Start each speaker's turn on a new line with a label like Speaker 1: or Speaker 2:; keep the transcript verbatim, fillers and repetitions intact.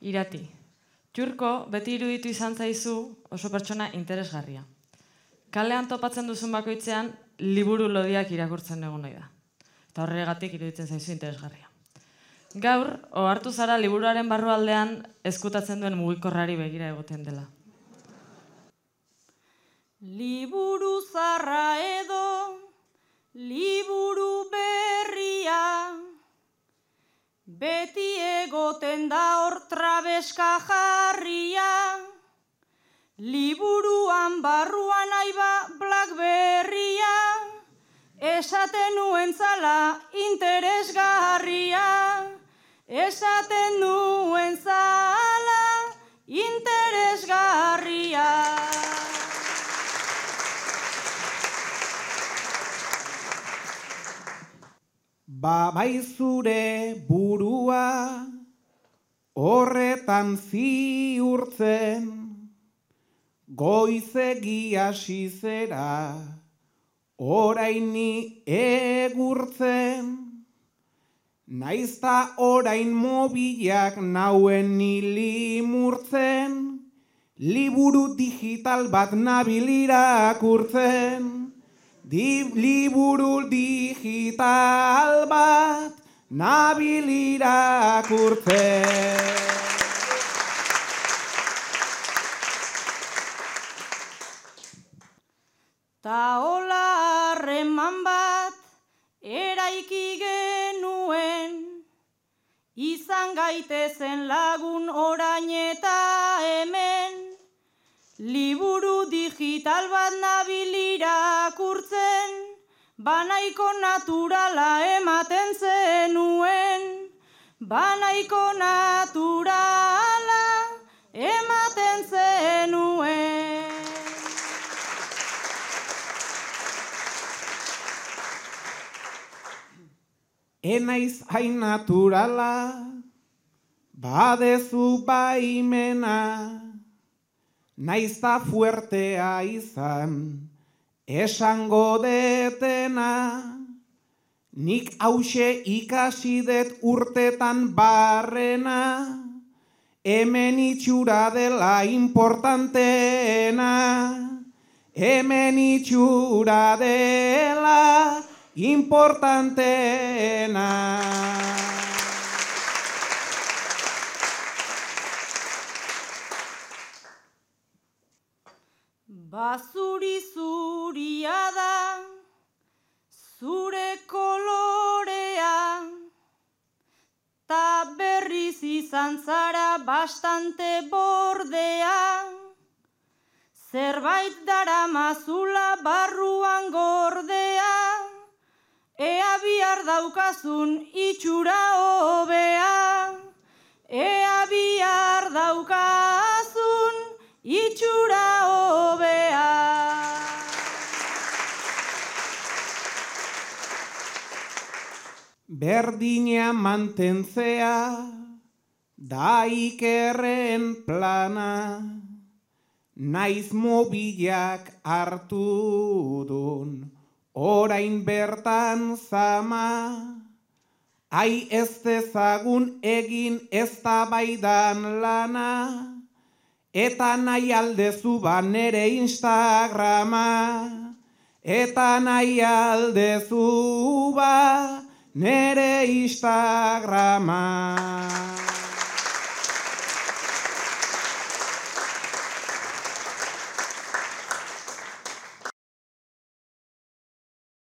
Speaker 1: Irati. Txurko beti iruditu izan zaizu oso pertsona interesgarria. Kalean topatzen duzun bakoitzean, liburu lodiak irakurtzen egon nahi da. Eta horregatik iruditzen zaizu interesgarria. Gaur, ohartu zara liburuaren barrualdean ezkutatzen duen mugikorrari begira egoten dela.
Speaker 2: Liburu zarra edo, liburu berria, beti egoten da hor trabeska jarria, liburuan barruan aiba Blackberria, esaten nuen zala interesgarria, esaten nuen zala interesgarria.
Speaker 3: Ba bai zure burua horretan ziurtzen, goizegi hasi zera orain ni egurtzen, naizta orain mobilak nauen ni limurtzen, liburu digital bat nabil irakurtzen. Di, liburu digital bat nabil irakurtzen.
Speaker 2: Ta hola harreman bat eraiki genuen, izan gaitezen lagun orain eta hemen, liburu digital bat nabil irakurtzen, banaiko naturala ematen zenuen, banaiko naturala ematen zenuen.
Speaker 3: Enaiz hain naturala, badezu baimena, naizta fuertea izan, esango detena, nik hause ikasi det urtetan barrena, hemen itxura dela importanteena, hemen itxura dela importanteena.
Speaker 2: Bazuri zuria da, zure kolorea, ta berriz izan zara bastante bordea, zerbait daramazula barruan gordea, ea bihar daukazun itxura hobea, ea bihar daukazun itxura hobea.
Speaker 3: Berdina mantentzea da ikerren plana, naiz mobilak hartu dun orain bertan zama, ai ez dezagun egin eztabaidan lana, eta nahi aldezu ba nere Instagrama, eta nahi aldezu ba nere Instagrama.